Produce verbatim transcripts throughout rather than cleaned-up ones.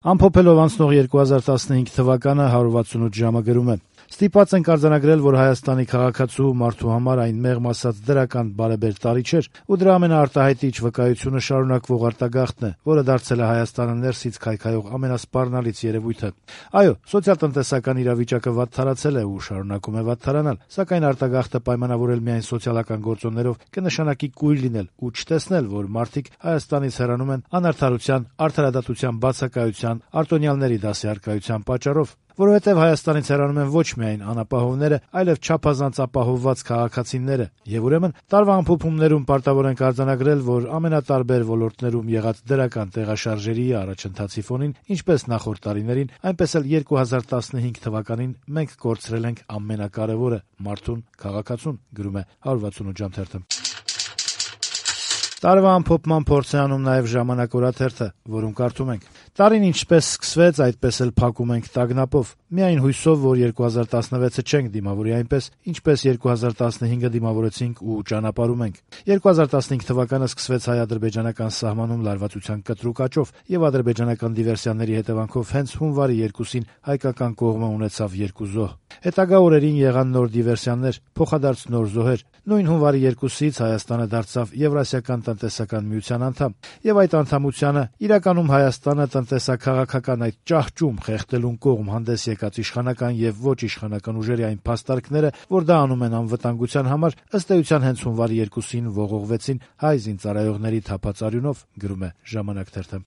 Ամփոփելով անցնող երկու հազար տասնհինգ թվականը հարյուր վաթսունութ ժամը գրում է. «Ստիպված ենք արձանագրել, որ Հայաստանի քաղաքացու մարդու համար այն մեղմ ասած դրական բարեբեր տարի չէր, ու դրա ամենաարտահայտիչ վկայությունը շարունակվող արտագաղթն է, որը դարձել է Հայաստանը ներսից քայքայող ամենասպառնալից երևույթը։ Այո, սոցիալ-տնտեսական իրավիճակը վատթարացել է ու շարունակում է վատթարանալ, սակայն արտագաղթը պայմանավորել միայն սոցիալական գործոններով կնշանակի կույր լինել ու չտեսնել, որ մարդիկ Հայաստանից հեռանում են անարդարության, արդարադատության բացակայության, արտոնյալների դասյարկայության պատճառով։ Որովհետև Հայաստանից հեռանում են ոչ միայն անապահովները, այլև չափազանց ապահովված քաղաքացիները, եւ ուրեմն տարվա ամփոփումներում պարտավոր ենք արձանագրել, որ ամենատարբեր ոլորտներում եղած դրական տեղաշարժերի առաջընթացի ֆոնին, ինչպես նախորդ տարիներին, այնպես էլ երկու հազար տասնհինգ թվականին մենք կորցրել ենք ամենակարևորը՝ մարդուն, քաղաքացուն», գրում է հարյուր վաթսունութ ժամ թերթը։ Տարվա ամփոփման փորձ է անում նաև «Ժամանակ» օրաթերթը, որում կարդում ենք. «Տարին ինչպես սկսվեց, այդպես էլ փակում ենք տագնապով։ Միայն հույսով, որ երկու հազար տասնվեցը չենք դիմավորի այնպես, ինչպես երկու հազար տասնհինգը դիմավորեցինք ու ճանապարհում ենք։ երկու հազար տասնհինգ թվականը սկսվեց հայ-ադրբեջանական սահմանում լարվածության կտրուկ աճով, եւ ադրբեջանական դիվերսիաների հետևանքով հենց հունվարի երկուսին հայկական կողմը ունեցավ երկու զոհ։ Հետագա օրերին եղան նոր դիվերսիաներ, փոխադարձ նոր զոհեր։ Նույն հունվարի երկուսից Հայաստանը դարձավ Եվրասիական տնտեսական միության անդամ, եւ այդ անդամությանը իրականում Հայաստանը տնտեսա-քաղաքական այդ ճահճում խեղդելուն կողմ հանդես եկած իշխանական եւ ոչ իշխանական ուժերի այն փաստարկները, որ դա անում են անվտանգության համար, ըստ էության հենց հունվարի երկուսին ողողվեցին հայ զինծառայողների թափած արյունով», գրում է «Ժամանակ» թերթը։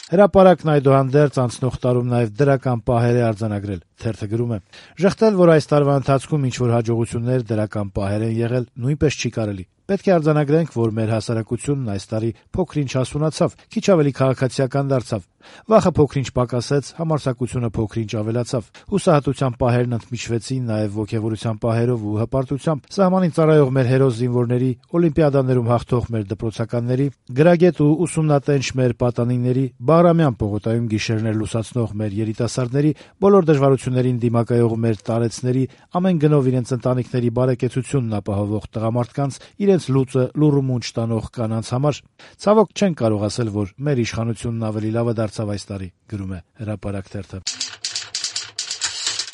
Հրապարակն այդուհանդերձ անցնող տարում նաև դրական պահեր է արձանագրել։ Թերթը գրում է. «Ժխտել, որ այս տարվա ընթացքում ինչ-որ հաջողություններ, դրական պահեր են եղել, նույնպես չի կարելի։ Պետք է արձանագրենք, որ մեր հասարակությունն այս տարի փոքր-ինչ հասունացավ, քիչ ավելի քաղաքացիական դարձավ։ Վախը փոքր-ինչ պակասեց, համարձակությունը փոքր-ինչ ավելացավ։ Հուսահատության պահերն ընդմիջվեցին նաև ոգևորության պահերով ու հպարտությամբ։ Սահմանին ծառայող մեր հերոս զինվորների, օլիմպիադաներում հաղթող մեր դպրոցականների, գրագետ ու ուսումնատենչ մեր պատանիների, Բաղրամյան պողոտայում գիշերներ լուսացնող մեր երիտասարդների, բոլոր դժվարություններին դիմակայող մեր տարեցների, ամեն գնով իրենց ընտանիքների բարեկեցությունն ապահովող տղամարդկանց, իրենց լուծը լուռ ու մունջ տանող կանանց համար ցավոք չենք կարող ասել, որ մեր իշխանությունն ավելի լավը դարձավ այս տարի», գրում է «Հրապարակ» թերթը։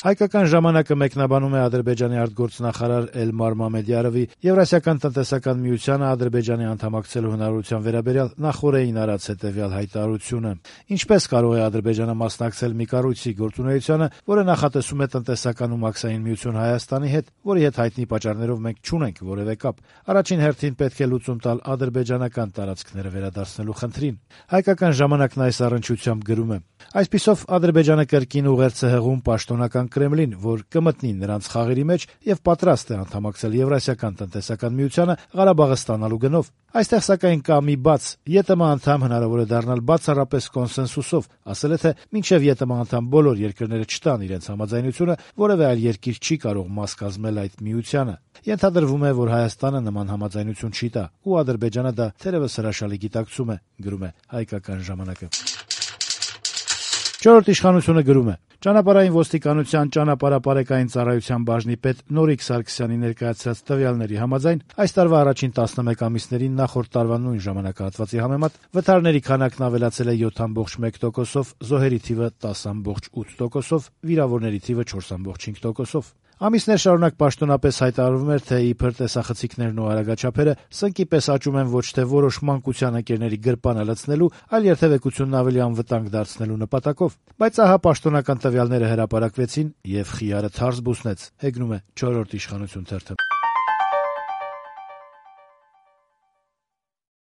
Հայկական ժամանակը մեկնաբանում է Ադրբեջանի արտգործնախարար Էլմար Մամեդյարովի Եվրասիական տնտեսական միությանը Ադրբեջանի անդամակցելու հնարավորության վերաբերյալ նախօրեին արած հետևյալ հայտարարությունը. «Ինչպես կարող է Ադրբեջանը մասնակցել մի կառույցի գործունեությանը, որը նախատեսում է տնտեսական ու մաքսային միություն Հայաստանի հետ, որի հետ հայտնի պատճառներով մենք չունենք որևէ կապ։ Առաջին հերթին պետք է լուծում տալ ադրբեջանական տարածքները վերադարձնելու խնդրին»։ Հայկական ժամանակն այս առնչությամբ գրում է. «Այսպիսով Ադրբեջանը կրկին ուղերձ է հղում պաշտոնական Կրեմլին, որ կմտնի նրանց խաղերի մեջ եւ պատրաստ է անդամակցել Եվրասիական տնտեսական միությանը Ղարաբաղը ստանալու գնով։ Այստեղ սակայն կա մի բաց. ԵՏՄ անդամ հնարավոր է դառնալ բացառապես կոնսենսուսով, ասել է, թե մինչեւ ԵՏՄ անդամ բոլոր երկրները չտան իրենց համաձայնությունը, որևէ այլ երկիր չի կարող մաս կազմել այդ միությանը։ Ենթադրվում է, որ Հայաստանը նման համաձայնություն չի տա, ու Ադրբեջանը դա թերևս հրաշալի գիտակցում է», գրում է Հայկական ժամանակը։ Չորրորդ իշխանությունը գրում է. «Ճանապարհային ոստիկանության ճանապարհապարեկային ծառայության բաժնի պետ Նորիկ Սարգսյանի ներկայացրած տվյալների համաձայն այս տարվա առաջին տասնմեկ ամիսներին նախորդ տարվա նույն ժամանակահատվածի համեմատ վթարների քանակն ավելացել է յոթ կόμμα մեկ տոկոսով, զոհերի թիվը տասը կόμμα ութ տոկոսով, վիրավորների թիվը չորս կόμμα չինգ տոկոսով։ Ամիսներ շարունակ պաշտոնապես հայտարարվում էր, թե իբր տեսախցիկներն ու արագաչափերը սնկի պես աճում են ոչ թե որոշ մանկության ընկերների գրպանը լցնելու, այլ երթևեկությունն ավելի անվտանգ դարձնելու նպատակով։ Բայց ահա պաշտոնական տվյալները հրապարակվեցին եւ խիարը թարս բուսնեց», հեգնում է չորրորդ իշխանություն թերթը։